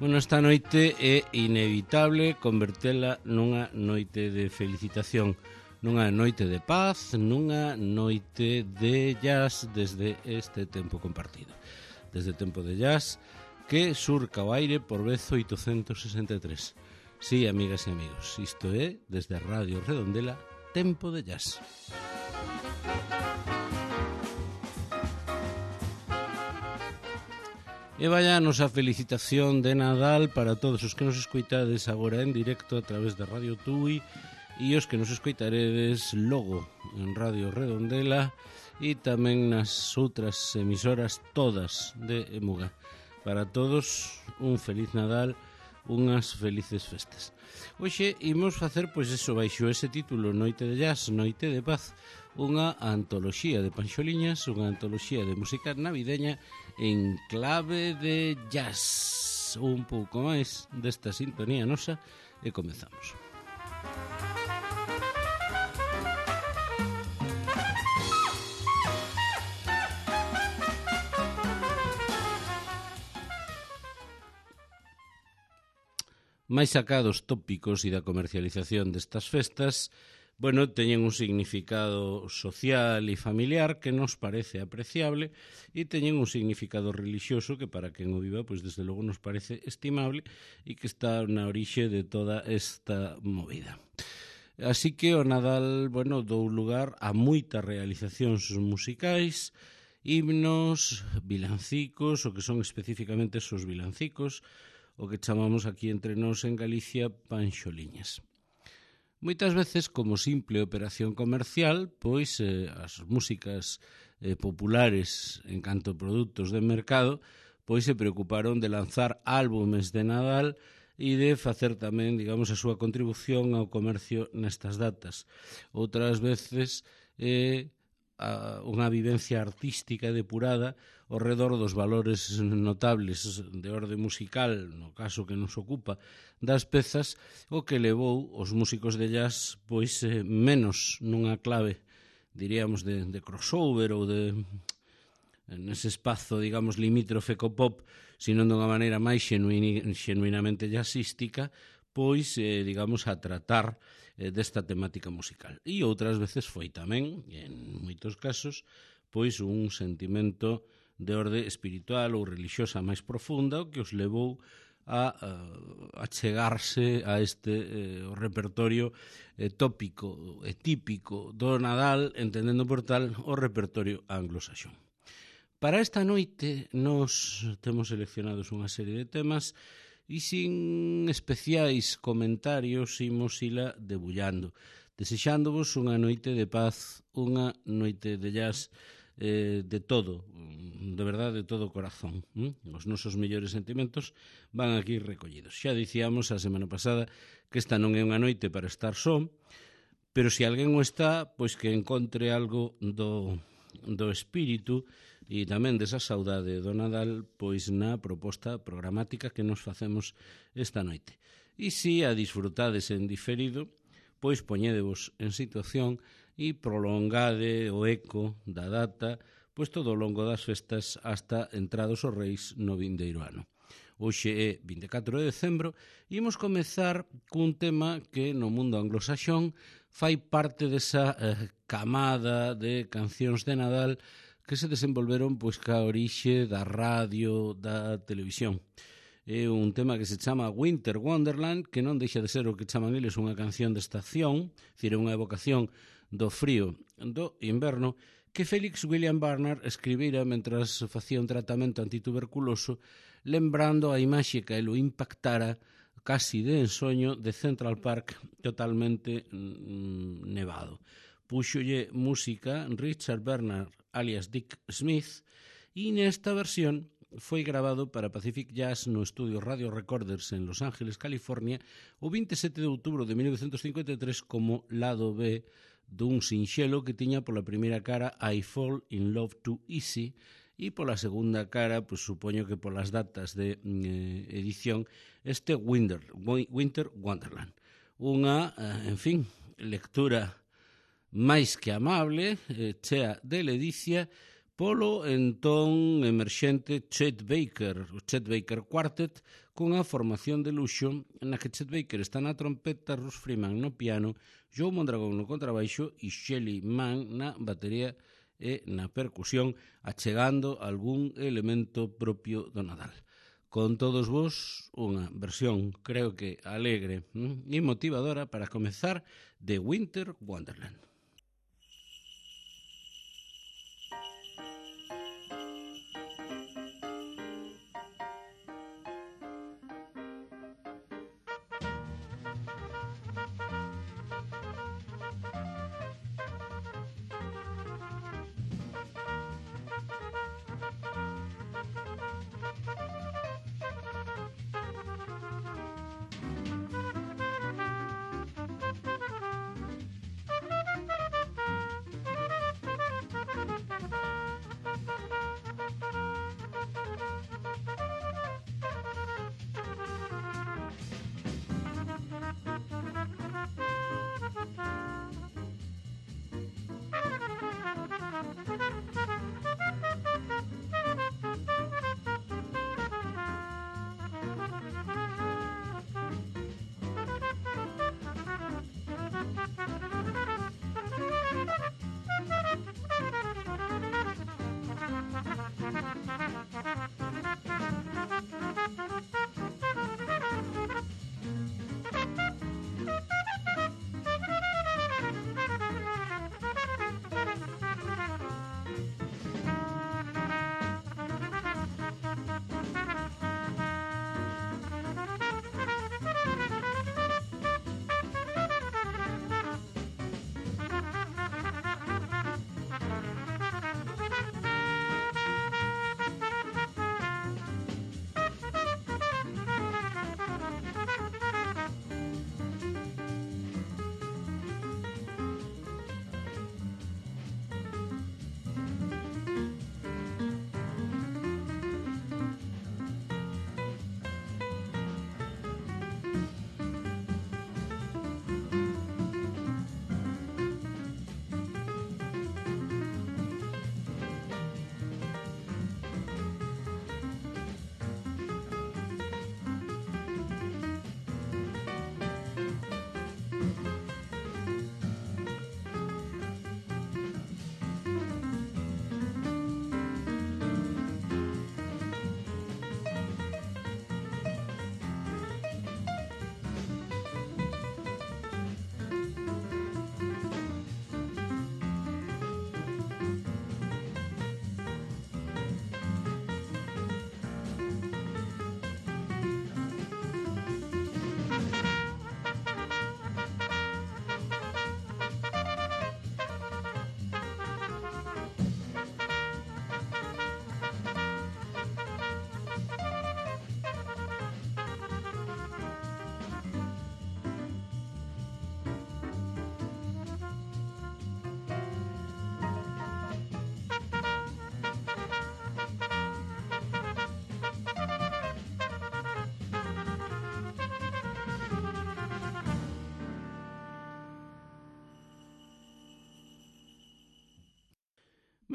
Bueno, esta noite é inevitable convertela nunha noite de felicitación, nunha noite de paz, nunha noite de jazz desde este tempo compartido. Desde tempo de jazz que surca o aire por vez 863. Sí, amigas e amigos, isto é, desde a Radio Redondela, Tempo de Jazz. E vai a nosa felicitación de Nadal para todos os que nos escoitades agora en directo a través da Radio Tui e os que nos escoitaredes logo en Radio Redondela e tamén nas outras emisoras todas de Emuga. Para todos, un feliz Nadal, unhas felices festas. Hoxe imos facer, pois eso, baixo ese título, Noite de Jazz, Noite de Paz, unha antoloxía de panxoliñas, unha antoloxía de música navideña en clave de jazz. Un pouco máis desta sintonía nosa e comezamos. Mais sacados tópicos e da comercialización destas festas, bueno, teñen un significado social e familiar que nos parece apreciable e teñen un significado relixioso que para quen o viva, pois desde logo nos parece estimable e que está na orixe de toda esta movida. Así que o Nadal, bueno, dou lugar a moitas realizacións musicais, himnos, vilancicos, o que son especificamente esos vilancicos, o que chamamos aquí entre nós en Galicia panxoliñas. Moitas veces, como simple operación comercial, pois as músicas populares en canto a produtos de mercado, pois se preocuparon de lanzar álbumes de Nadal e de facer tamén, digamos, a súa contribución ao comercio nestas datas. Outras veces unha vivencia artística depurada ao redor dos valores notables de orde musical, no caso que nos ocupa, das pezas, o que levou os músicos de jazz pois menos nunha clave, diríamos, de crossover ou de nese espazo, digamos, limítrofe co pop, sino dunha maneira máis xenuinamente jazzística, pois, digamos, a tratar desta temática musical. E outras veces foi tamén, en moitos casos, pois un sentimento de orde espiritual ou relixiosa máis profunda, o que os levou a chegarse a este repertorio tópico e típico do Nadal, entendendo por tal o repertorio anglosaxón. Para esta noite nos temos seleccionados unha serie de temas e sin especiais comentarios imos ila debullando, desexándovos unha noite de paz, unha noite de jazz de todo, de verdade, de todo o corazón. Os nosos mellores sentimentos van aquí recollidos. Xa dicíamos a semana pasada que esta non é unha noite para estar só, pero se alguén o está, pois que encontre algo do espírito e tamén desa saudade do Nadal pois na proposta programática que nos facemos esta noite. E se a disfrutades en diferido, pois poñédevos en situación e prolongade o eco da data pois todo o longo das festas hasta entrados os reis no vindeiro ano. Hoxe é 24 de decembro e imos comezar cun tema que no mundo anglosaxón fai parte desa camada de cancións de Nadal que se desenvolveron pois ca orixe da radio, da televisión. É un tema que se chama Winter Wonderland, que non deixa de ser o que chaman eles unha canción de estación, dicir, unha evocación do frío do inverno, que Felix William Barnard escribira mentras facía un tratamento antituberculoso, lembrando a imaxe que o impactara casi de ensoño de Central Park totalmente nevado. Púxolle música Richard Bernard alias Dick Smith e nesta versión foi grabado para Pacific Jazz no estudio Radio Recorders en Los Ángeles, California, o 27 de outubro de 1953 como lado B dun sinxelo que tiña pola primeira cara I Fall in Love Too Easy e pola segunda cara, pois supoño que polas datas de edición, este Winter Wonderland. Unha, en fin, lectura máis que amable, chea de ledicia, polo entón emerxente Chet Baker, o Chet Baker Quartet, cunha formación de luxo na que Chet Baker está na trompeta, Russ Freeman no piano, Joe Mondragon no contrabaixo e Shelly Manne na batería e na percusión, achegando algún elemento propio do Nadal. Con todos vos, unha versión, creo que alegre e motivadora para comezar de Winter Wonderland.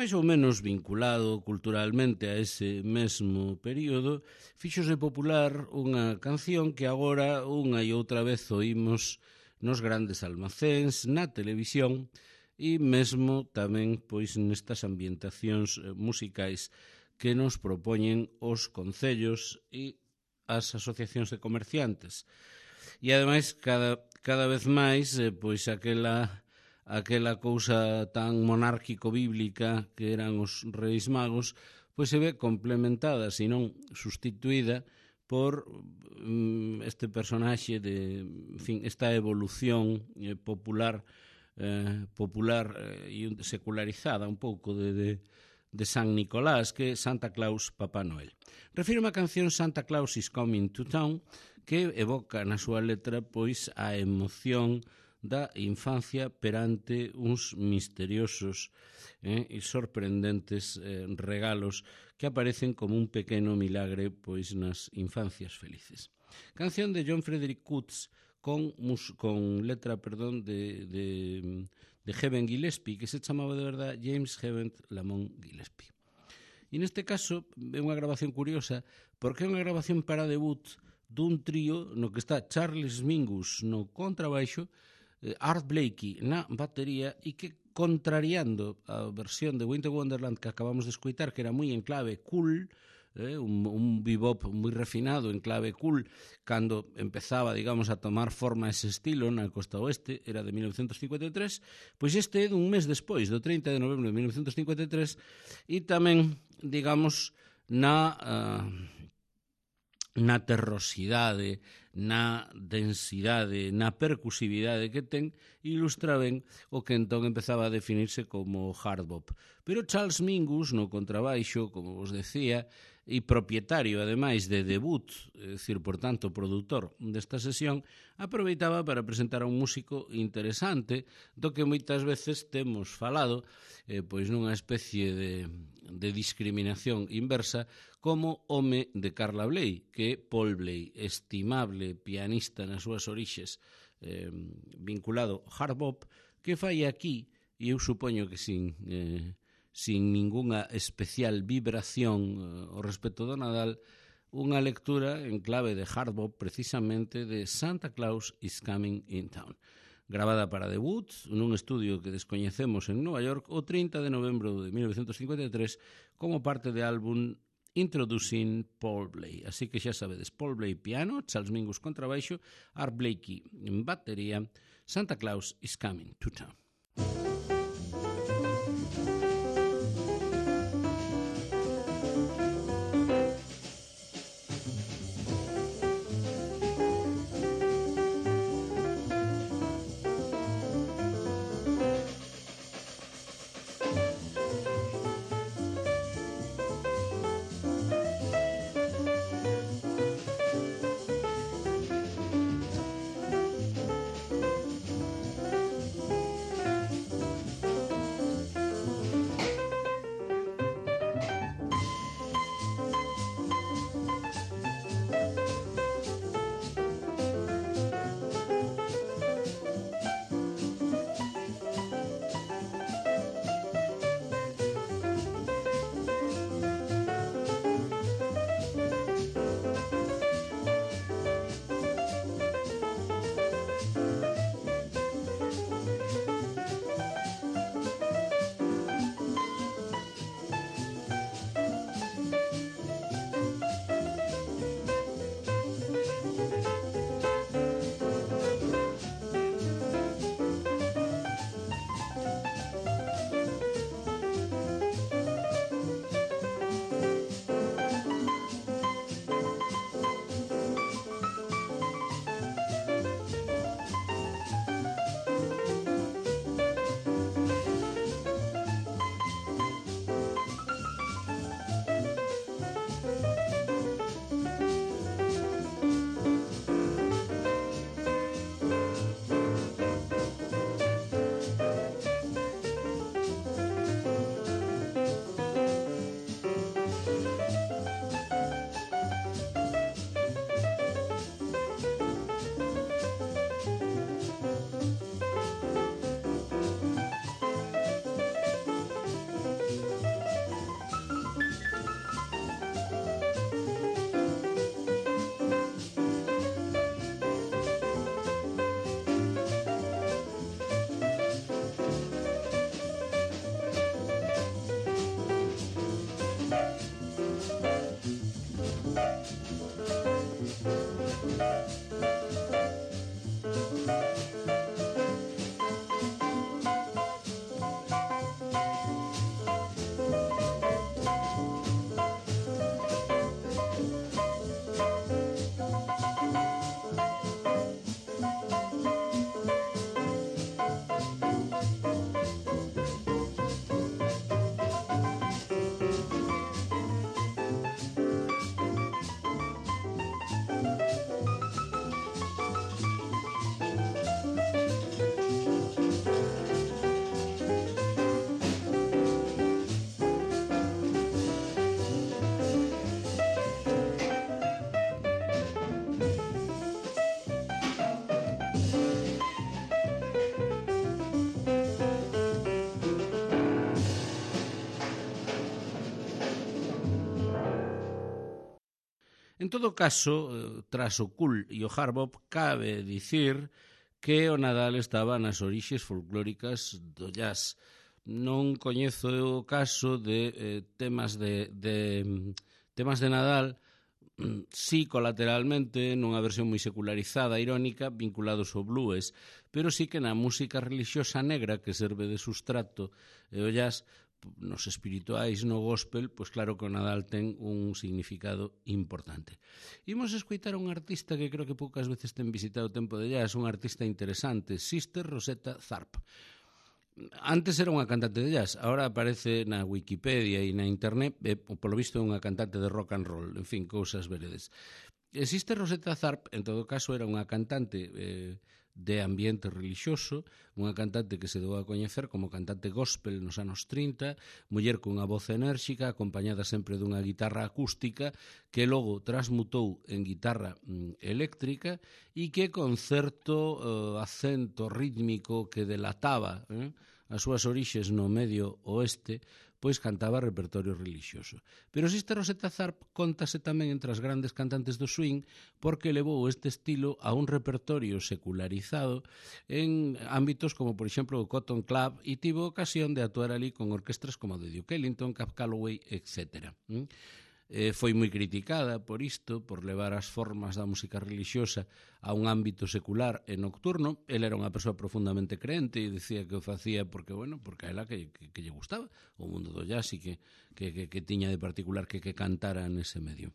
máis ou menos vinculado culturalmente a ese mesmo período, fíxose popular unha canción que agora unha e outra vez oímos nos grandes almacéns, na televisión e mesmo tamén pois nestas ambientacións musicais que nos propoñen os concellos e as asociacións de comerciantes. E ademais cada vez máis pois aquela cousa tan monárquico-bíblica que eran os Reis Magos, pois se ve complementada, senón sustituída por este personaxe de, en fin, esta evolución popular e secularizada un pouco de San Nicolás, que é Santa Claus Papá Noel. Refírome a canción Santa Claus is Coming to Town, que evoca na súa letra pois a emoción da infancia perante uns misteriosos e sorprendentes regalos que aparecen como un pequeno milagre pois nas infancias felices. Canción de John Frederick Coots con letra, de Heben Gillespie, que se chamaba de verdad James Heben Lamont Gillespie. E neste caso é unha grabación curiosa porque é unha grabación para debut dun trío no que está Charles Mingus no contrabaixo, Art Blakey na batería e que, contrariando a versión de Winter Wonderland que acabamos de escoitar, que era moi en clave cool, un bebop moi refinado en clave cool, cando empezaba, digamos, a tomar forma ese estilo na costa oeste, era de 1953, pois este é dun mes despois, do 30 de novembro de 1953, e tamén, digamos, na terrosidade, na densidade, na percusividade que ten, ilustra ben o que entón empezaba a definirse como hard bop. Pero Charles Mingus, no contrabaixo, como vos decía, e propietario, ademais, de debut, é dicir, por tanto, produtor desta sesión, aproveitaba para presentar a un músico interesante, do que moitas veces temos falado, pois nunha especie de discriminación inversa, como home de Carla Bley, que é Paul Bley, estimable pianista nas súas orixes, vinculado ao hard bop, que fai aquí, e eu supoño que sin ningunha especial vibración ao respecto do Nadal, unha lectura en clave de hard bop precisamente de Santa Claus is Coming in Town, gravada para debut nun estudio que descoñecemos en Nova York o 30 de novembro de 1953 como parte de álbum Introducing Paul Bley. Así que xa sabedes, Paul Bley piano, Charles Mingus contrabaixo, Art Blakey en batería, Santa Claus is Coming to Town. En todo caso, tras o cool e o hard bop, cabe dicir que o Nadal estaba nas orixes folclóricas do jazz. Non coñezo o caso de temas de Nadal, sí colateralmente, nunha versión moi secularizada, irónica, vinculados ao blues, pero sí que na música religiosa negra que serve de sustrato e o jazz, nos espirituais, no gospel, pois claro que o Nadal ten un significado importante. Imos escoitar un artista que creo que poucas veces ten visitado o tempo de jazz, un artista interesante, Sister Rosetta Tharpe. Antes era unha cantante de jazz, agora aparece na Wikipedia e na internet, polo visto é unha cantante de rock and roll, en fin, cousas veredes. Sister Rosetta Tharpe, en todo caso, era unha cantante de ambiente religioso, unha cantante que se deu a coñecer como cantante gospel nos anos 30, muller cunha voz enérxica, acompañada sempre dunha guitarra acústica, que logo transmutou en guitarra eléctrica e que con certo acento rítmico que delataba as súas orixes no medio oeste, pois cantaba repertorio religioso. Pero Sister Rosetta Tharpe contase tamén entre as grandes cantantes do swing porque levou este estilo a un repertorio secularizado en ámbitos como, por exemplo, o Cotton Club e tivo ocasión de actuar ali con orquestras como a de Duke Ellington, Cab Calloway, etc. Foi moi criticada por isto, por levar as formas da música religiosa a un ámbito secular e nocturno. Ela era unha persoa profundamente creente e dicía que o facía porque a ela que lle gustaba o mundo do jazz e que tiña de particular que cantara nese medio.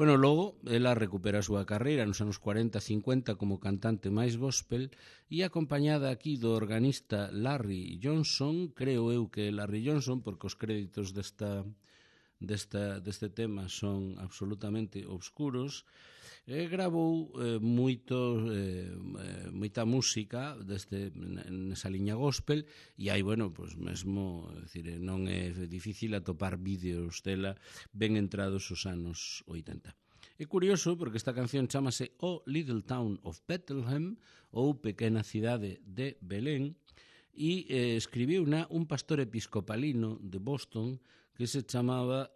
Logo, ela recupera a súa carreira nos anos 40-50 como cantante máis gospel e acompañada aquí do organista Larry Johnson, creo eu que Larry Johnson, porque os créditos deste tema son absolutamente obscuros, gravou moita música nesa liña gospel e hai, mesmo, non é difícil atopar vídeos dela ben entrados os anos 80. É curioso porque esta canción chamase O Little Town of Bethlehem ou Pequena Cidade de Belén e escribiu un pastor episcopalino de Boston que se chamaba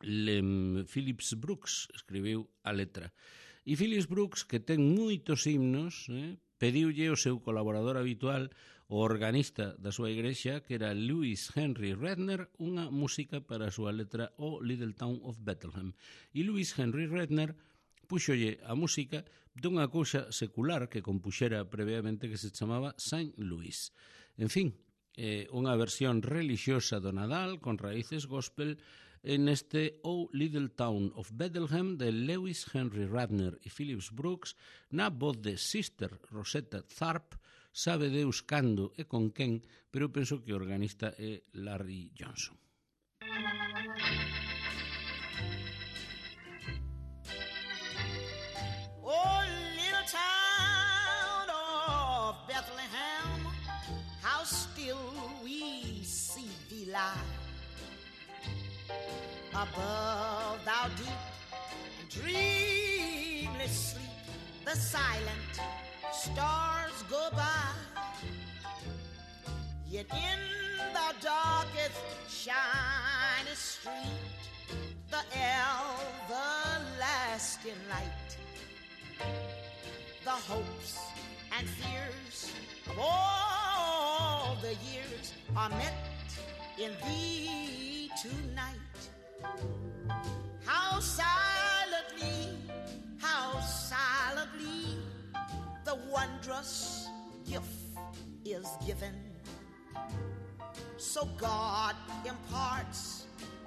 Phillips Brooks, escribiu a letra. E Phillips Brooks, que ten moitos himnos, pediulle o seu colaborador habitual, o organista da súa igrexa, que era Lewis Henry Redner, unha música para a súa letra O Little Town of Bethlehem. E Lewis Henry Redner púxolle a música dunha cousa secular que compuxera previamente que se chamaba Saint Louis. En fin, unha versión religiosa do Nadal con raíces gospel en este O Little Town of Bethlehem de Lewis Henry Radner e Phillips Brooks na voz de Sister Rosetta Tharpe, sabe Deus cando e con quen, pero penso que o organista é Larry Johnson. Oh, little town of Bethlehem, how still we see thee lie above thou deep and dreamless sleep. The silent stars go by, yet in the darkest shiny street, the everlasting light, the hopes and fears of all the years are met in thee tonight. How silently the wondrous gift is given. So God imparts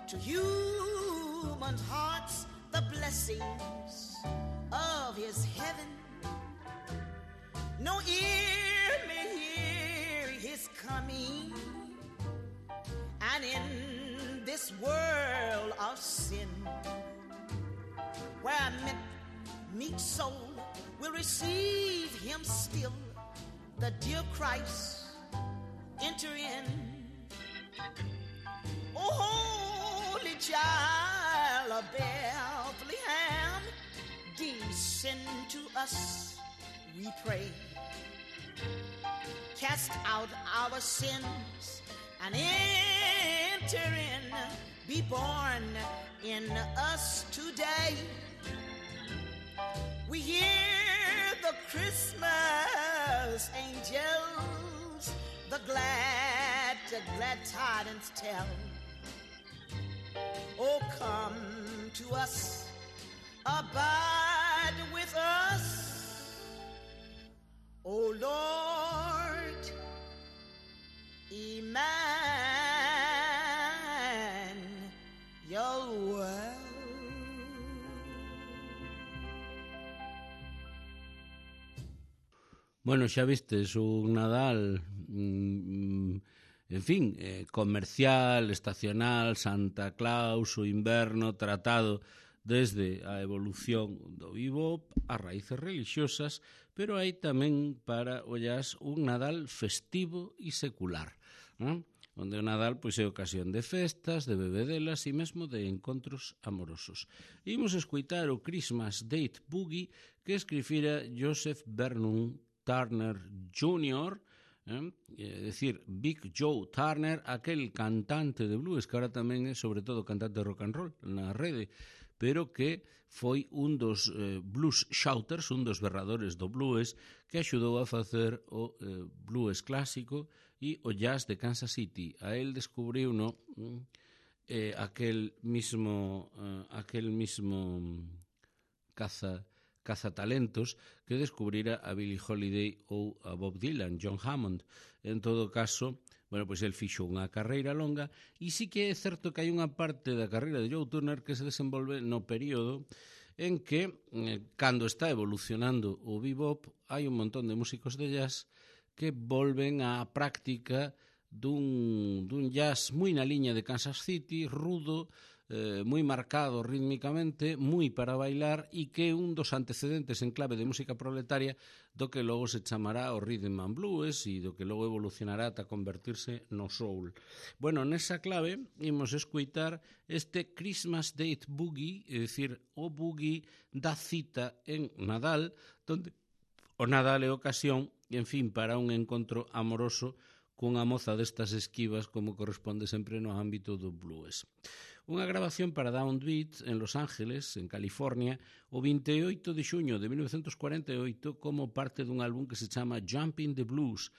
to human hearts the blessings of his heaven. No ear may hear his coming, and in this world of sin, where a meek soul will receive him still, the dear Christ enter in. Oh, holy child of Bethlehem, descend to us, we pray. Cast out our sins, and in enter in, be born in us today. We hear the Christmas angels, the glad tidings tell. Oh, come to us, abide with us, oh Lord, Emmanuel. Bueno, xa vistes un Nadal, en fin, comercial, estacional, Santa Claus, o inverno, tratado desde a evolución do bebop, as raíces religiosas, pero hai tamén para ollas un Nadal festivo e secular, non? Onde o Nadal pois é ocasión de festas, de bebedelas e mesmo de encontros amorosos. Imos escoitar o Christmas Date Boogie que escrifira Joseph Vernon Turner Jr., é dicir, Big Joe Turner, aquel cantante de blues que ahora tamén é sobre todo cantante de rock and roll na rede, pero que foi un dos blues shouters, un dos berradores do blues que axudou a facer o blues clásico e o jazz de Kansas City. A él descubriu aquel mismo cazatalentos que descubrira a Billie Holiday ou a Bob Dylan, John Hammond. En todo caso, bueno, pois el fixo unha carreira longa e sí que é certo que hai unha parte da carreira de Joe Turner que se desenvolve no período en que, cando está evolucionando o bebop, hai un montón de músicos de jazz que volven á práctica dun jazz moi na liña de Kansas City, rudo, moi marcado rítmicamente, moi para bailar e que é un dos antecedentes en clave de música proletaria do que logo se chamará o rhythm and blues e do que logo evolucionará ata convertirse no soul. Bueno, nesa clave imos escoitar este Christmas Date Boogie, é dicir, o boogie da cita en Nadal, donde o Nadal é ocasión, en fin, para un encontro amoroso cunha moza destas esquivas como corresponde sempre no ámbito do blues. Unha grabación para Downbeat en Los Ángeles, en California, o 28 de xuño de 1948 como parte dun álbum que se chama Jumpin' the Blues.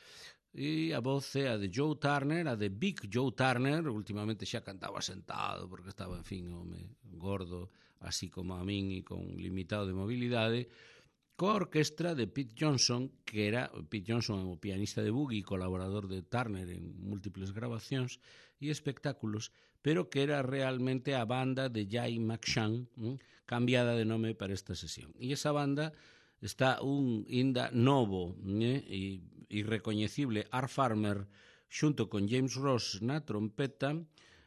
E a voz é a de Joe Turner, a de Big Joe Turner, últimamente xa cantaba sentado porque estaba, en fin, home gordo, así como a min e con limitado de mobilidade, coa orquestra de Pete Johnson, que era Pete Johnson, o pianista de boogie e colaborador de Turner en múltiples grabacións e espectáculos, pero que era realmente a banda de Jay McShann, cambiada de nome para esta sesión. E esa banda está un inda novo e irrecoñecible Art Farmer xunto con James Ross na trompeta.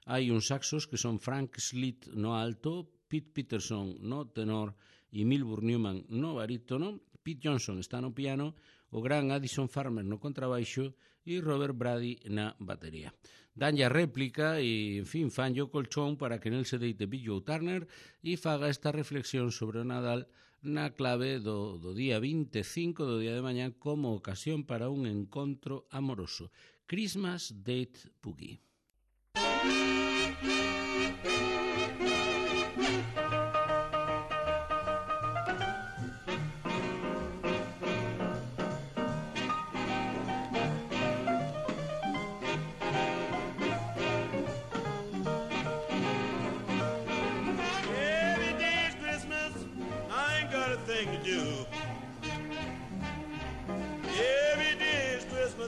Hai uns saxos que son Frank Slitt no alto, Pete Peterson no tenor e Milburn Newman no barítono, Pete Johnson está no piano, o gran Addison Farmer no contrabaixo e Robert Brady na batería. Danlle a réplica e, en fin, fanlle o colchón para que nel se deite Big Joe Turner e faga esta reflexión sobre o Nadal na clave do día 25 do día de mañá como ocasión para un encontro amoroso. Christmas Date Boogie.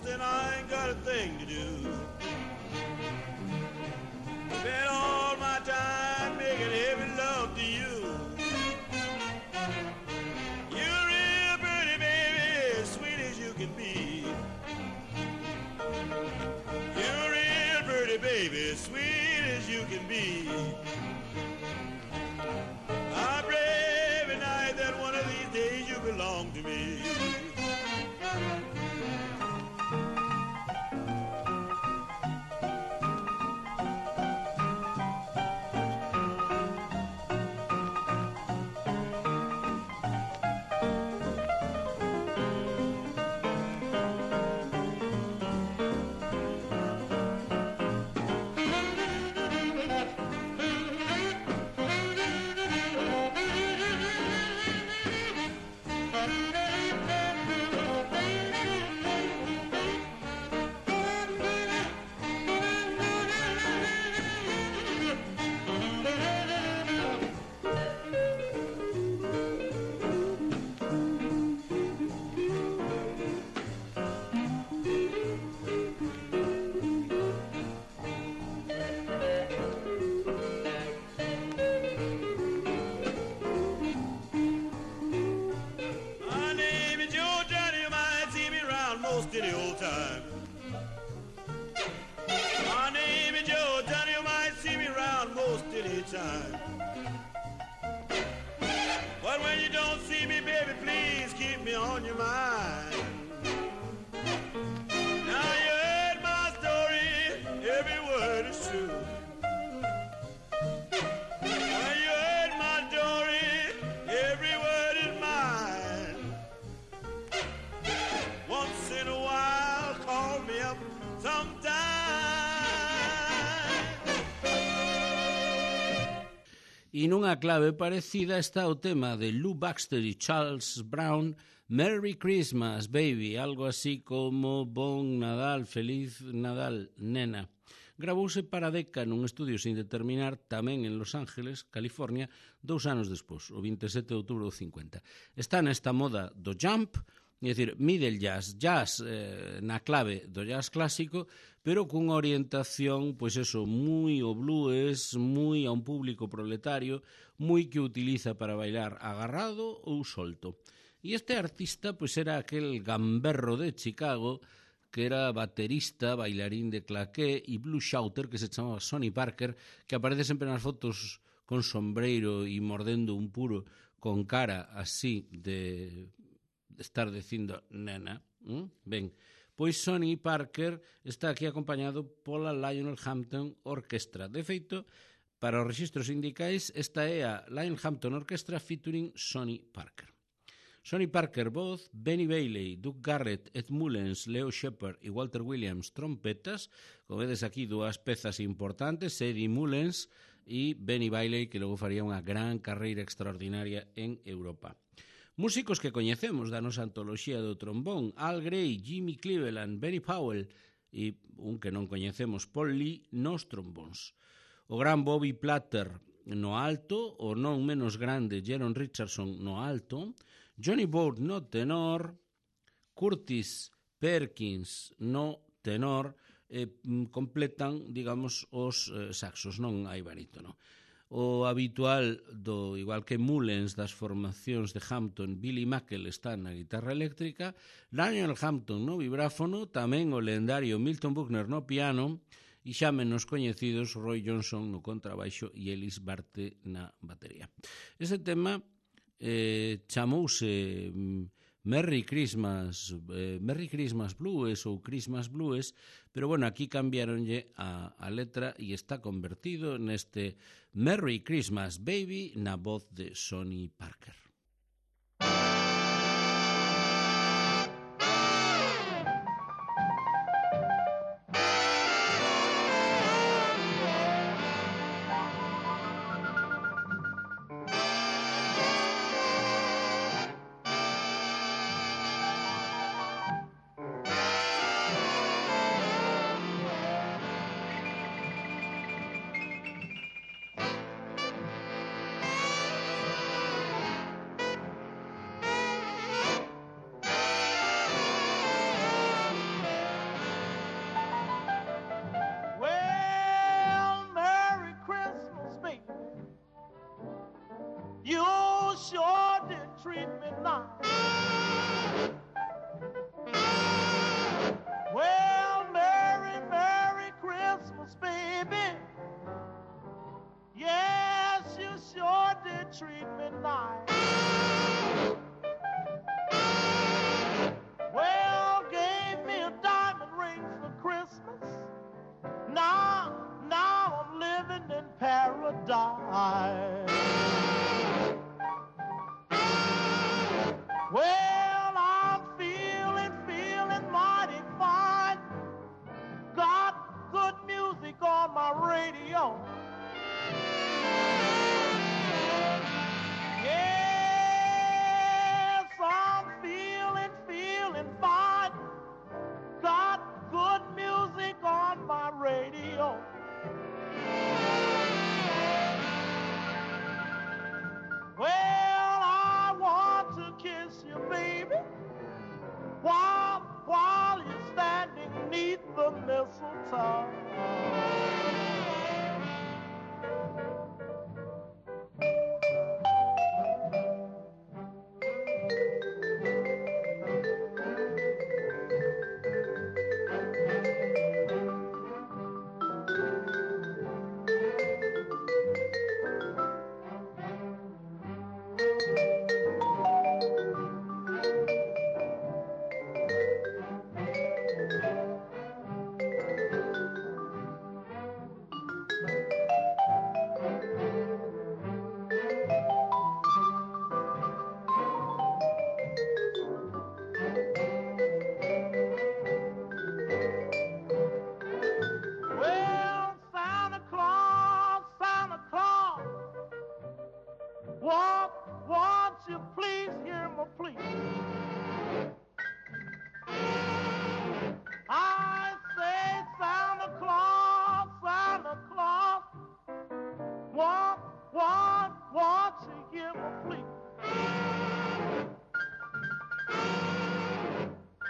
And I ain't got a thing to do. Spend all my time on your mind. Now you heard my story, every word is true. Now you heard my story, every word is mine. Once in a while, call me up sometime. E nunha clave parecida está o tema de Lou Baxter e Charles Brown, Merry Christmas, Baby, algo así como Bon Nadal, Feliz Nadal, nena. Gravouse para Decca nun estudio sin determinar tamén en Los Ángeles, California, 2 anos despois, o 27 de outubro do 50. Está nesta moda do jump, é dicir, middle jazz, na clave do jazz clásico, pero cunha orientación, pois eso, moi ao blues, moi a un público proletario, moi que utiliza para bailar agarrado ou solto. E este artista, pois era aquel gamberro de Chicago, que era baterista, bailarín de claqué e blues shouter, que se chamaba Sonny Parker, que aparece sempre nas fotos con sombreiro e mordendo un puro con cara así de estar dicindo nena. Ben, pois Sonny Parker está aquí acompañado pola Lionel Hampton Orchestra. De feito, para os registros sindicais, esta é a Lionel Hampton Orchestra featuring Sonny Parker. Sonny Parker, voz, Benny Bailey, Doug Garrett, Ed Mullens, Leo Shepard e Walter Williams, trompetas. Como vedes aquí, dúas pezas importantes, Eddie Mullens e Benny Bailey, que logo faría unha gran carreira extraordinaria en Europa. Músicos que coñecemos da nosa antoloxía do trombón, Al Gray, Jimmy Cleveland, Benny Powell e un que non coñecemos, Paul Lee, nos trombóns. O gran Bobby Platter no alto, o non menos grande Jeron Richardson no alto, Johnny Bode no tenor, Curtis Perkins no tenor, completan, digamos, os saxos, non hai barítono. O habitual, igual que Mullens, das formacións de Hampton, Billy Mackel está na guitarra eléctrica, Lionel Hampton no vibráfono, tamén o lendario Milton Buckner no piano, e xa menos coñecidos Roy Johnson no contrabaixo e Ellis Barte na batería. Ese tema chamouse Merry Christmas Blues ou Christmas Blues, pero bueno, aquí cambiaronlle a letra e está convertido neste Merry Christmas Baby na voz de Sonny Parker. Treat me nice. Well, gave me a diamond ring for Christmas. Now I'm living in paradise. Well, I'm feeling mighty fine. Got good music on my radio. Yeah. won't you please hear my plea? I say, Santa Claus, won't you hear my plea?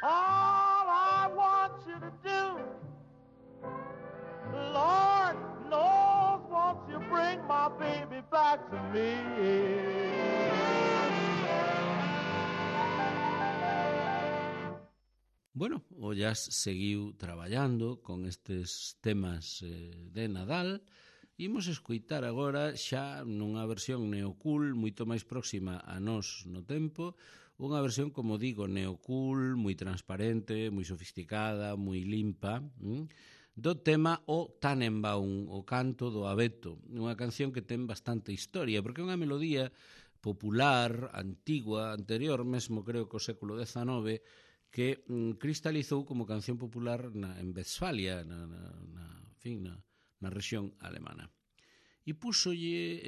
All I want you to do, Lord knows, won't you bring my baby back to me? Bueno, o Jazz seguiu traballando con estes temas de Nadal. Imos escoitar agora xa nunha versión neocool moito máis próxima a nós no tempo, unha versión, como digo, neocool, moi transparente, moi sofisticada, moi limpa, do tema O Tannenbaum, o canto do abeto, unha canción que ten bastante historia, porque é unha melodía popular, antigua, anterior mesmo, creo que o século XIX, que cristalizou como canción popular en Westfalia, na rexión alemana. E púxolle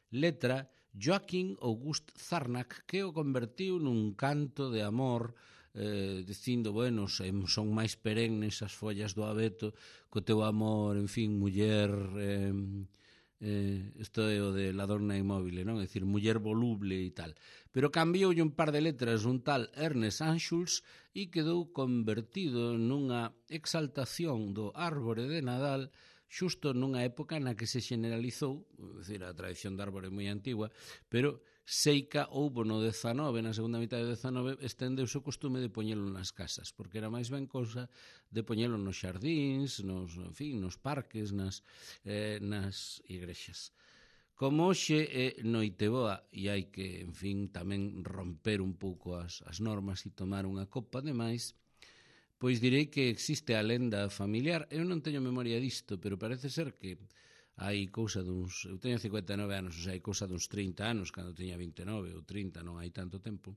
letra Joachim August Zarnack, que o convertiu nun canto de amor, dicindo, bueno, son máis perennes as follas do abeto, co teu amor, en fin, muller... isto é o de La Donna Inmóvil, non? É dicir, muller voluble e tal. Pero cambioulle un par de letras un tal Ernest Anschutz e quedou convertido nunha exaltación do árbore de Nadal xusto nunha época na que se generalizou, é dicir, a tradición de árbore moi antigua, pero seica houbo no 19, na segunda mitad do 19, estendeuse o costume de poñelo nas casas, porque era máis ben cousa de poñelo nos xardíns, nos parques, nas igrexas. Como hoxe é Noiteboa e hai que, en fin, tamén romper un pouco as normas e tomar unha copa de máis, pois direi que existe a lenda familiar. Eu non teño memoria disto, pero parece ser que hai cousa duns... Eu teño 59 anos, o sea, hai cousa duns 30 anos, cando teña 29 ou 30, non hai tanto tempo.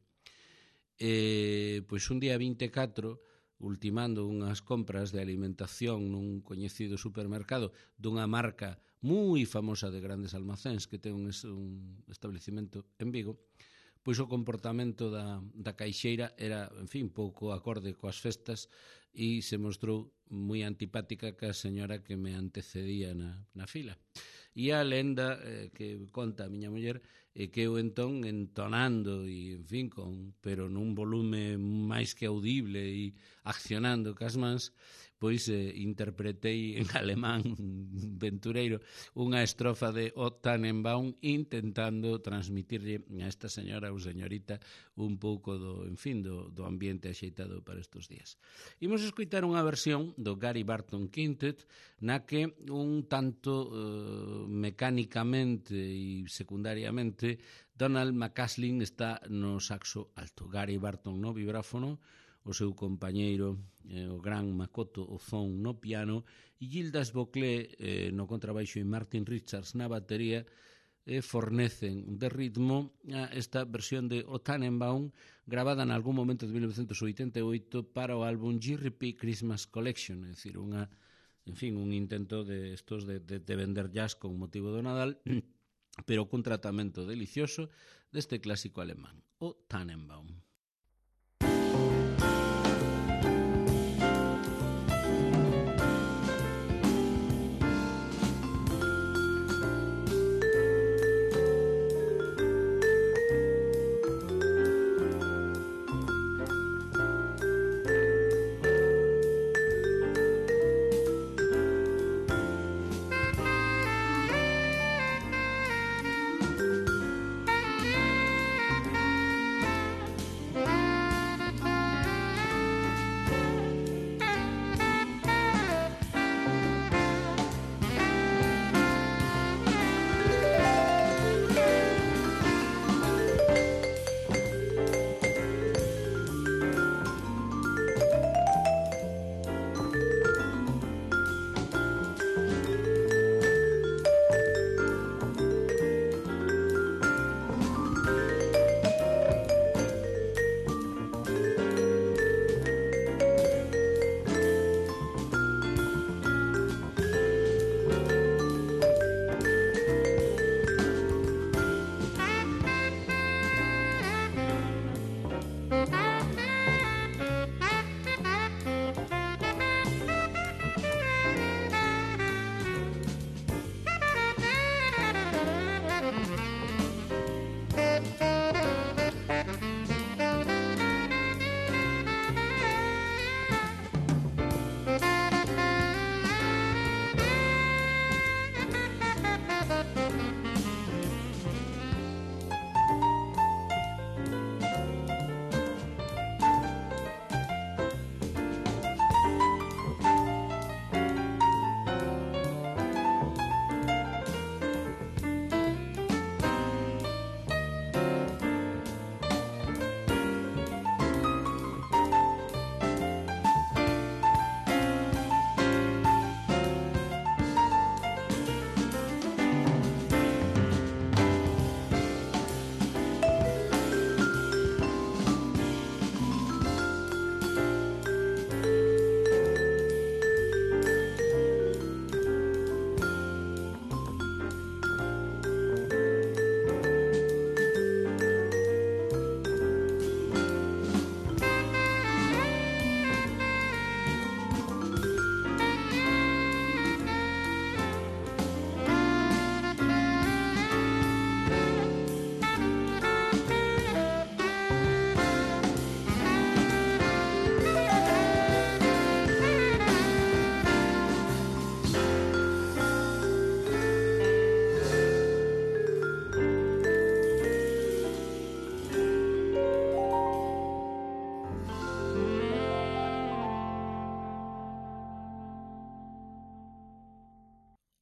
Pois un día 24, ultimando unhas compras de alimentación nun coñecido supermercado dunha marca moi famosa de grandes almacéns que ten un establecimento en Vigo, pois o comportamento da caixeira era, en fin, pouco acorde coas festas e se mostrou moi antipática ca señora que me antecedía na fila. E a lenda que conta a miña muller é que eu entón entonando e, en fin, pero nun volume máis que audible e accionando cas mans, pois interpretei en alemán ventureiro unha estrofa de O Tannenbaum intentando transmitirlle a esta señora ou señorita un pouco do ambiente axeitado para estes días. Imos escoitar unha versión do Gary Barton Quintet na que un tanto mecánicamente e secundariamente Donald McCaslin está no saxo alto, Gary Barton no vibráfono, o seu compañeiro, o gran Makoto Ozone no piano e Gildas Boclet no contrabaixo e Martin Richards na batería fornecen de ritmo a esta versión de O Tannenbaum gravada en algún momento de 1988 para o álbum GRP Christmas Collection, é dicir, un intento de estos de vender jazz con motivo do Nadal, pero cun tratamento delicioso deste clásico alemán, O Tannenbaum.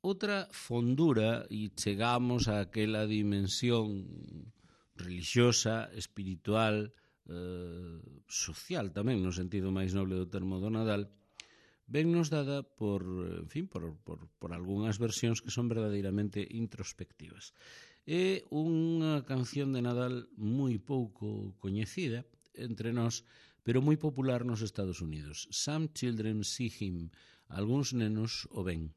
outra fondura e chegamos a aquela dimensión religiosa, espiritual, social tamén, no sentido máis noble do termo do Nadal, vennos dada por algunhas versións que son verdadeiramente introspectivas. É unha canción de Nadal moi pouco coñecida entre nós, pero moi popular nos Estados Unidos. Some children see him, algúns nenos o ven.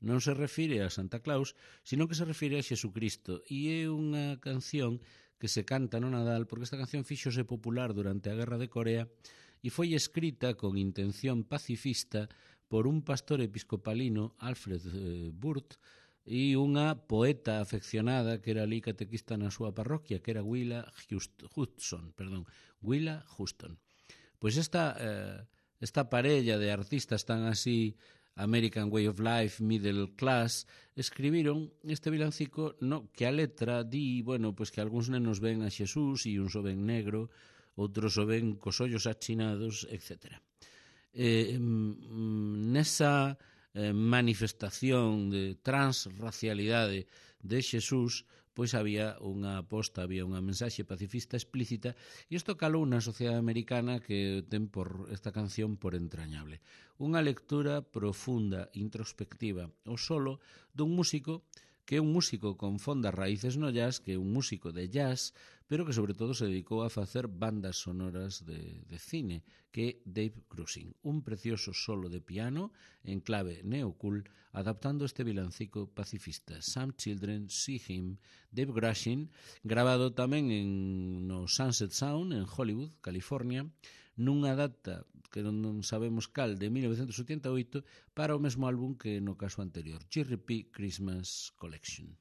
Non se refire a Santa Claus, sino que se refire a Xesucristo, e é unha canción que se canta no Nadal porque esta canción fíxose popular durante a Guerra de Corea e foi escrita con intención pacifista por un pastor episcopalino, Alfred Burt, e unha poeta afeccionada que era ali catequista na súa parroquia, que era Willa Hudson. Pois esta parella de artistas tan así, American Way of Life, Middle Class, escribiron este vilancico que a letra di, pois que algúns nenos ven a Xesús e uns o ven negro, outros o ven cos ollos achinados, etc. Nesa manifestación de transracialidade de Xesús, pois había unha aposta, había unha mensaxe pacifista explícita, e isto calou na sociedade americana que ten por esta canción por entrañable. Unha lectura profunda, introspectiva, o solo dun músico que é un músico con fondas raíces no jazz, que é un músico de jazz, pero que sobre todo se dedicou a facer bandas sonoras de cine, que é Dave Grusin. Un precioso solo de piano en clave neocool, adaptando este vilancico pacifista. Some Children See Him, Dave Grusin, grabado tamén no Sunset Sound, en Hollywood, California, nunha data que non sabemos cal, de 1988, para o mesmo álbum que no caso anterior, GRP Christmas Collection.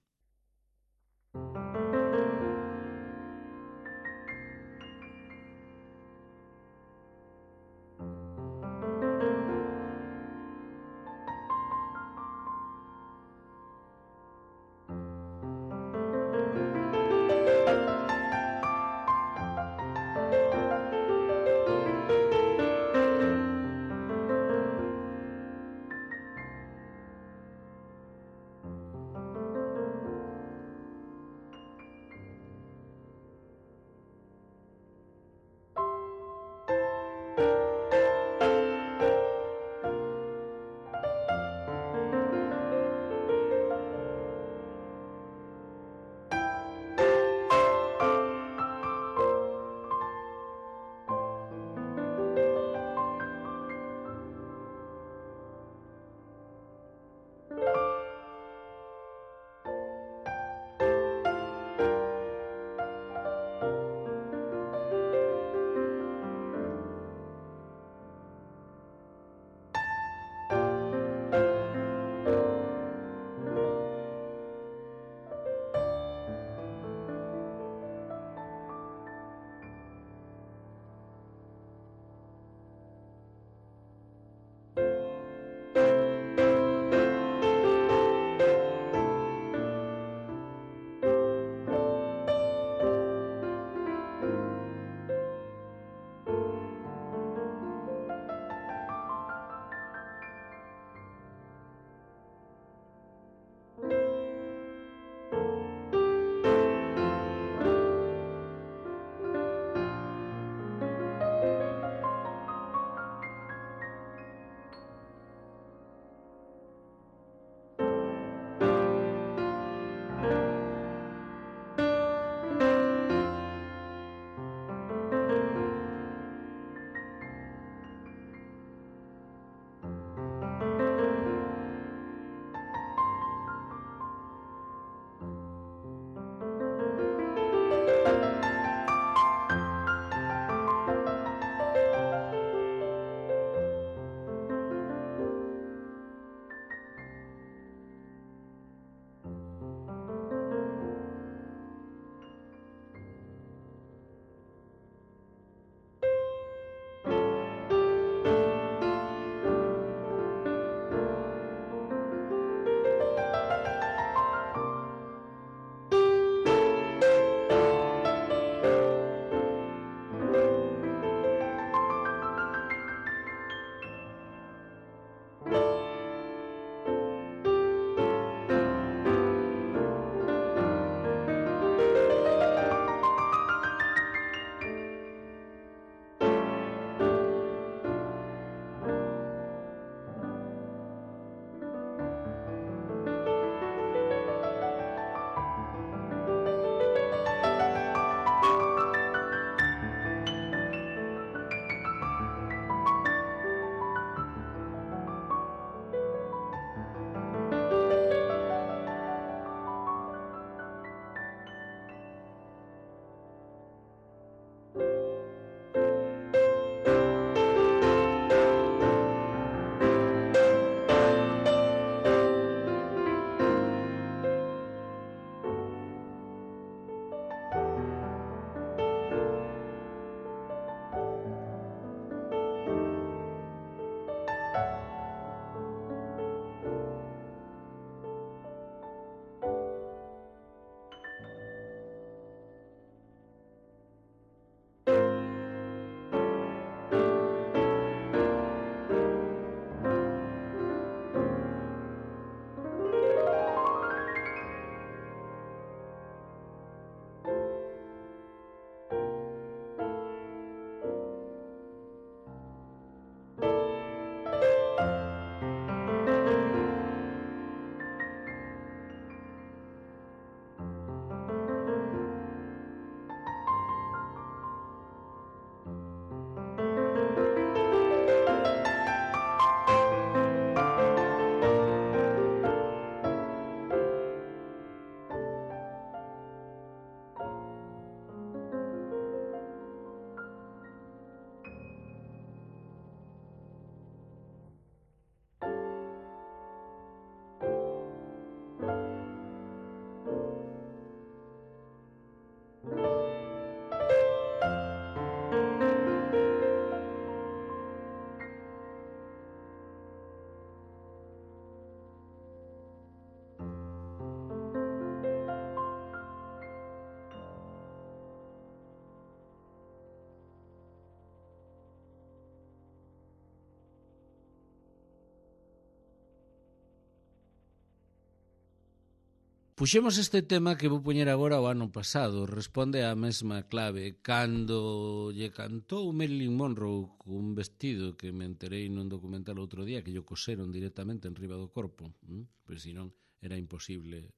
Puxemos este tema que vou poñer agora o ano pasado, responde á mesma clave. Cando lle cantou Marilyn Monroe cun vestido que me enterei nun documental outro día que lle coseron directamente en riba do corpo, pois senón era imposible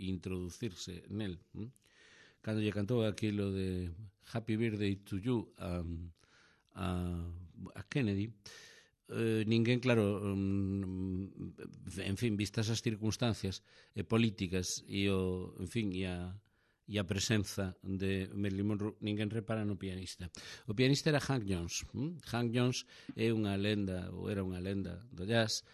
introducirse nel. Cando lle cantou aquilo de Happy Birthday to You a Kennedy, ninguén, claro, en fin, vistas as circunstancias políticas e a presenza de Marilyn Monroe, ninguén repara no pianista. O pianista era Hank Jones. Hank Jones é unha lenda, ou era unha lenda do jazz.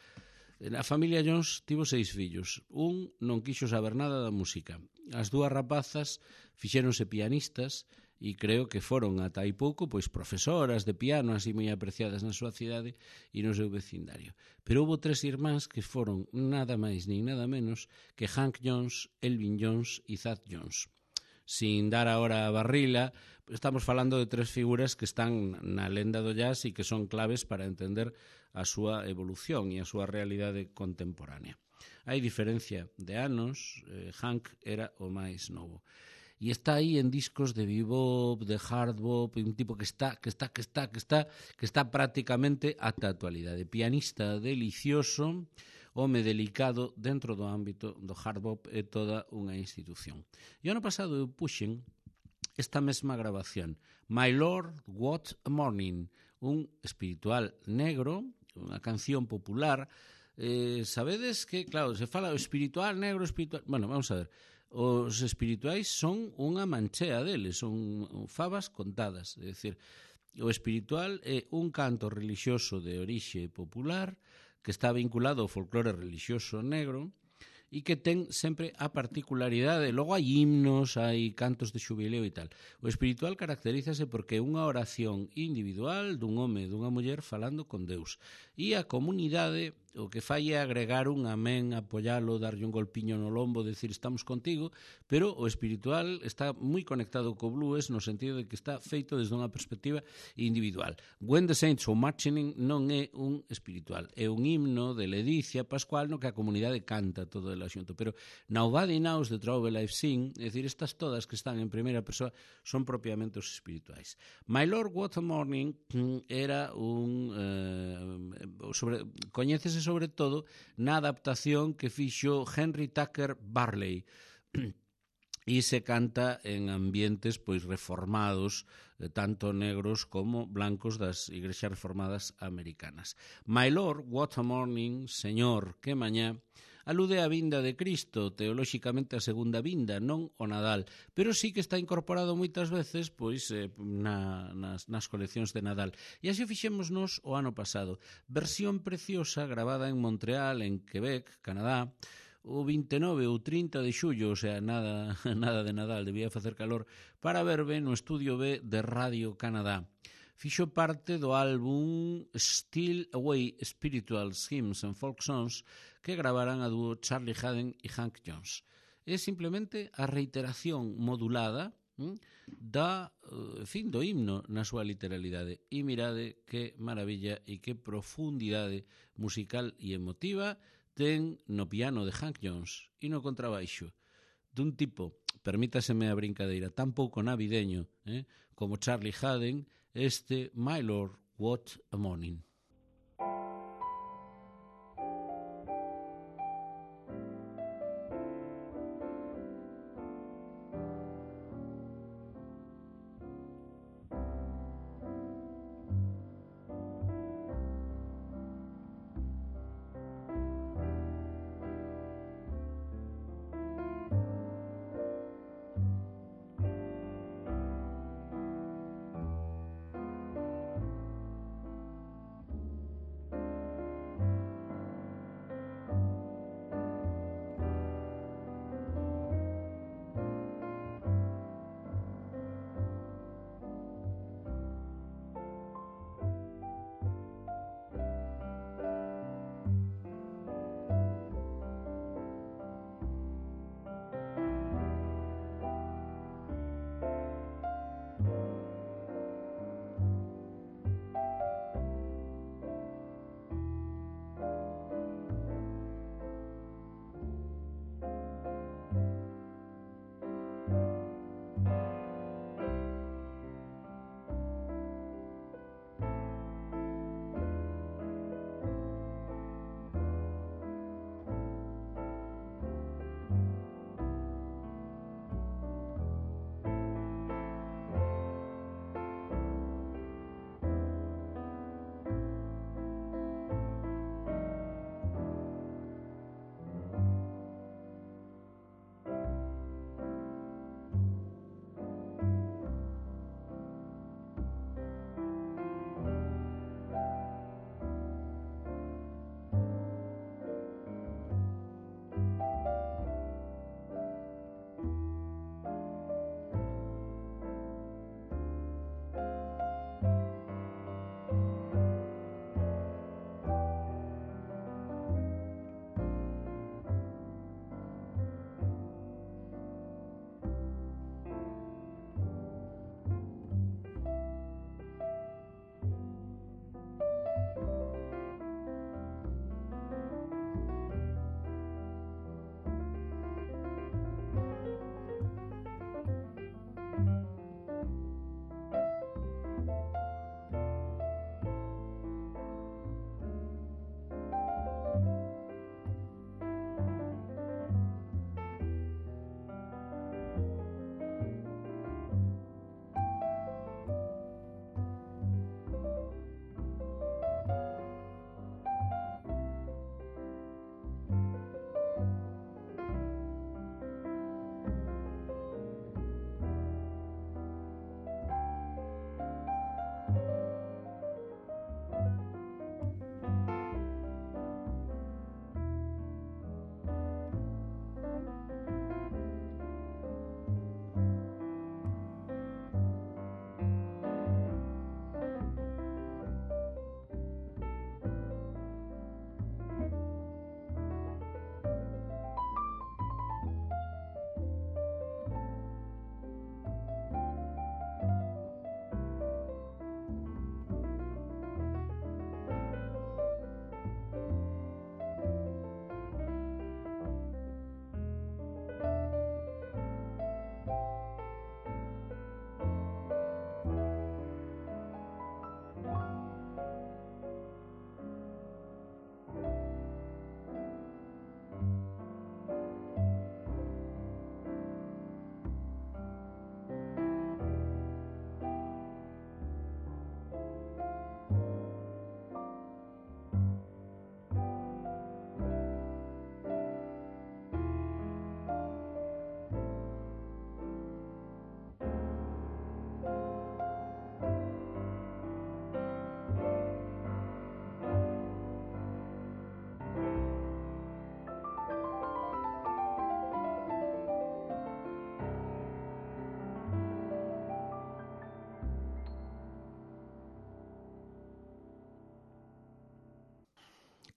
A familia Jones tivo 6 fillos. Un non quixo saber nada da música. As 2 rapazas fixéronse pianistas e creo que foron ata hai pouco pois profesoras de piano así moi apreciadas na súa cidade e no seu vecindario. Pero houve 3 irmáns que foron nada máis nin nada menos que Hank Jones, Elvin Jones e Thad Jones. Sin dar agora a barrila, estamos falando de 3 figuras que están na lenda do jazz e que son claves para entender a súa evolución e a súa realidade contemporánea. Hai diferencia de anos, Hank era o máis novo. E está aí en discos de bebop, de hard bop, un tipo que está prácticamente ata a actualidade. Pianista delicioso, home delicado dentro do ámbito do hard bop e toda unha institución. E ano pasado eu puxen esta mesma grabación, My Lord, What a Morning, un espiritual negro, unha canción popular. Sabedes que, claro, se fala o espiritual negro, espiritual... Bueno, vamos a ver. Os espirituais son unha manchea deles, son favas contadas. É dicir, o espiritual é un canto religioso de orixe popular que está vinculado ao folclore religioso negro e que ten sempre a particularidade. Logo hai himnos, hai cantos de xubileo e tal. O espiritual caracterízase porque é unha oración individual dun home e dunha muller falando con Deus. E a comunidade o que fai é agregar un amén, apoialo, darlle un golpiño no lombo, decir estamos contigo, pero o espiritual está moi conectado co blues no sentido de que está feito desde unha perspectiva individual. When the Saints Go Marching In non é un espiritual, é un himno de ledicia pascual no que a comunidade canta todo el asunto, pero Nobody Knows the Trouble I've Seen, é dicir, estas todas que están en primeira persoa son propiamente os espirituais. My Lord, What a Morning era coñécese sobre todo na adaptación que fixo Henry Tucker Barley e se canta en ambientes pois reformados, tanto negros como blancos das igrexas reformadas americanas. My Lord, What a Morning, Señor, que mañá, alude á vinda de Cristo, teolóxicamente a segunda vinda, non o Nadal, pero sí que está incorporado moitas veces pois nas coleccións de Nadal. E así fixémonos o ano pasado. Versión preciosa gravada en Montreal, en Quebec, Canadá, o 29 ou 30 de xullo, o sea, nada de Nadal, debía facer calor, para verbe no estudio B de Radio Canadá. Fixo parte do álbum Still Away Spiritual Hymns and Folk Songs que gravaran a dúo Charlie Haden e Hank Jones. É simplemente a reiteración modulada do himno na súa literalidade. E mirade que maravilla e que profundidade musical e emotiva ten no piano de Hank Jones e no contrabaixo dun tipo, permítaseme a brincadeira, tan pouco navideño como Charlie Haden, este My Lord, What a Morning.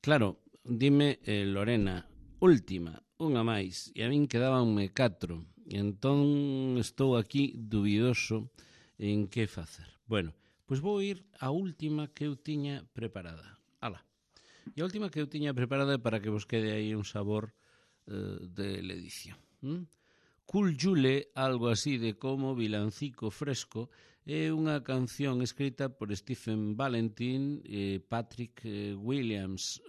Claro, dime, Lorena, última, unha máis, e a min quedábanme 4, e entón estou aquí dubidoso en que facer. Bueno, pois vou ir á última que eu tiña preparada. Ala. E a última que eu tiña preparada para que vos quede aí un sabor de edición. Cool Jule, algo así de como vilancico fresco, é unha canción escrita por Stephen Valentin e Patrick Williams,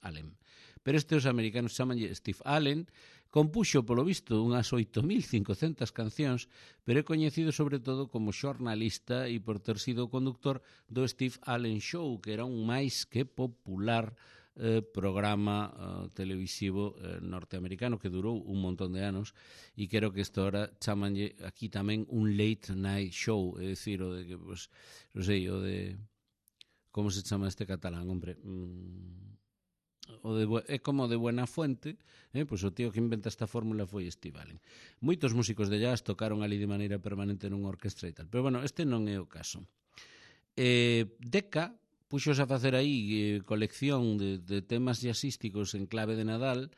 Allen. Pero os americanos chamanlle Steve Allen. Compuxo, polo visto, unhas 8.500 cancións, pero é coñecido sobre todo como xornalista e por ter sido o conductor do Steve Allen Show, que era un máis que popular programa televisivo norteamericano que durou un montón de anos e creo que isto ahora chamanlle aquí tamén un late night show, é dicir, o de que, pues, non sei, o de como se chama este catalán, hombre, é como de Buena Fuente, pois o tío que inventa esta fórmula foi Steve Allen. Moitos músicos de jazz tocaron ali de maneira permanente nunha orquestra e tal, pero bueno, este non é o caso. Decca puxos a facer aí colección de temas jazzísticos en clave de Nadal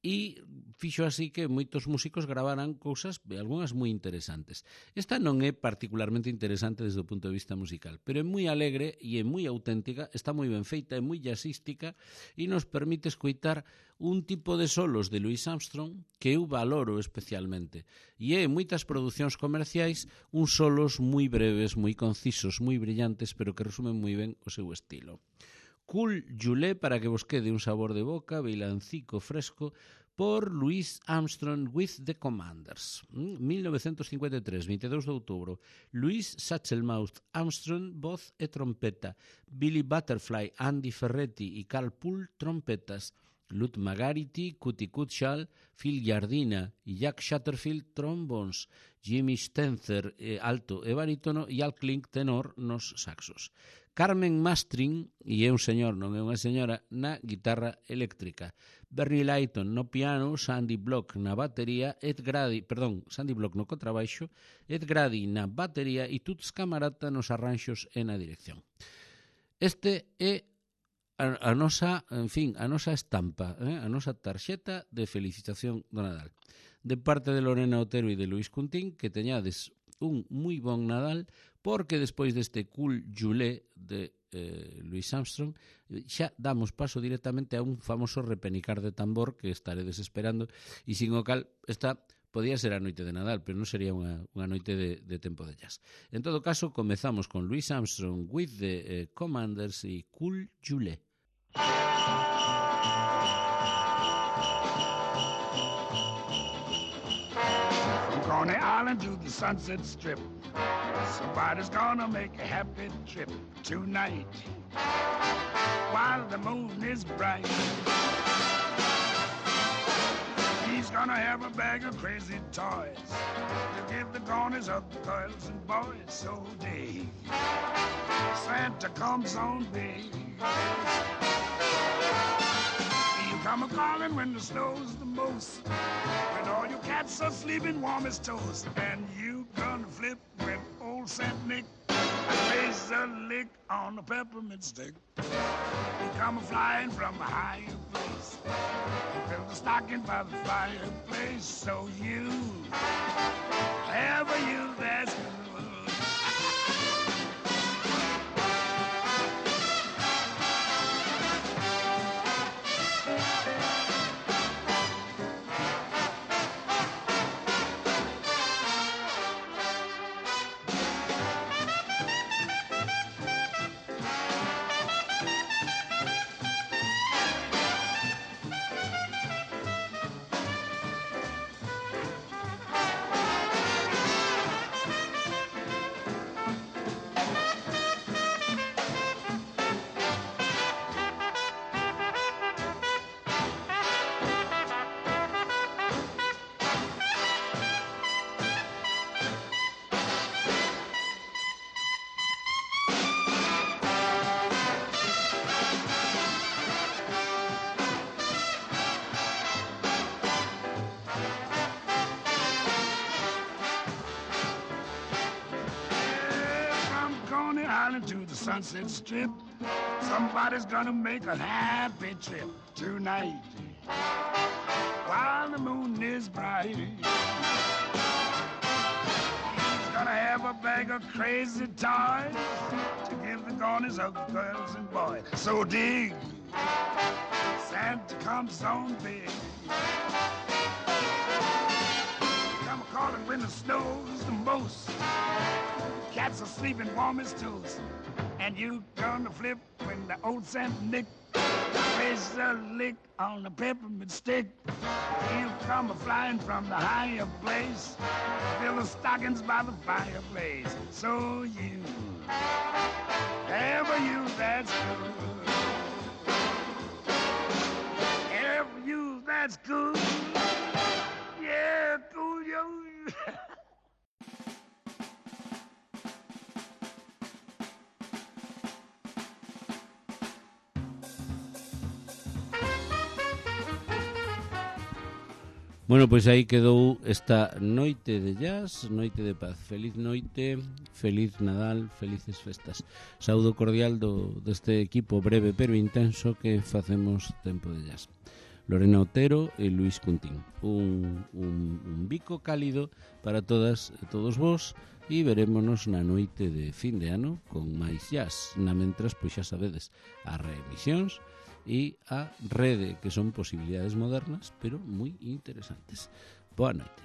e fixo así que moitos músicos gravaran cousas, algunhas moi interesantes. Esta non é particularmente interesante desde o punto de vista musical, pero é moi alegre e é moi auténtica, está moi ben feita, é moi jazzística e nos permite escoitar un tipo de solos de Louis Armstrong que eu valoro especialmente. E é en moitas producións comerciais uns solos moi breves, moi concisos, moi brillantes, pero que resumen moi ben o seu estilo. Cool Jule, para que vos quede un sabor de boca, vilancico fresco, por Louis Armstrong with the Commanders. 1953, 22 de outubro. Louis Satchelmouth Armstrong, voz e trompeta. Billy Butterfly, Andy Ferretti e Carl Poole, trompetas. Lud Magarity, Cutty Cutshall, Phil Giardina e Jack Shatterfield, trombons. Jimmy Stenzer, alto e barítono, e Al Klink, tenor, nos saxos. Carmen Mastrin, e é un señor, non é unha señora, na guitarra eléctrica. Bernie Lighton no piano, Sandy Block na batería, Sandy Block no contrabaixo, Ed Grady na batería e Toots Camarata nos arranxos e na dirección. Este é a nosa, en fin, a nosa estampa, a nosa tarxeta de felicitación do Nadal. De parte de Lorena Otero e de Luis Cuntín, que teñades un moi bon Nadal, porque despois deste Cool Jule de Louis Armstrong xa damos paso directamente a un famoso repenicar de tambor que estaredes esperando e sin o cal esta podía ser a noite de Nadal, pero non sería unha noite de tempo de jazz. En todo caso, comezamos con Louis Armstrong with the Commanders e Cool Jule. On the island to the Sunset Strip, somebody's gonna make a happy trip tonight while the moon is bright. He's gonna have a bag of crazy toys to give the corners of the girls and boys. So day Santa comes on big. He'll come a-calling when the snow's the most, when all your cats are sleeping warm as toast, and you gonna flip when old Saint Nick plays a lick on a peppermint stick. He'll come a-flying from a higher place and build a stocking by the fireplace. So you, ever you, that's good. To the Sunset Strip, Somebody's gonna make a happy trip tonight while the moon is bright. He's gonna have a bag of crazy toys to give the corners of the girls and boys. So dig, Santa comes on big. Come calling when the snow's the most. Cats are sleeping warm as toast. And you gonna flip when the old Saint Nick plays a lick on the peppermint stick. He'll come a-flying from the higher place, fill the stockings by the fireplace. So you, ever you that's good, ever you that's good, yeah, cool yo. Bueno, pois aí quedou esta noite de jazz, noite de paz. Feliz noite, feliz Nadal, felices festas. Saúdo cordial deste equipo breve pero intenso que facemos Tempo de Jazz. Lorena Otero e Luis Cuntín. Un bico cálido para todas e todos vos e verémonos na noite de fin de ano con máis jazz. Na mentras, pois xa sabedes, as reemisións e a rede, que son posibilidades modernas, pero moi interesantes. Boa noite.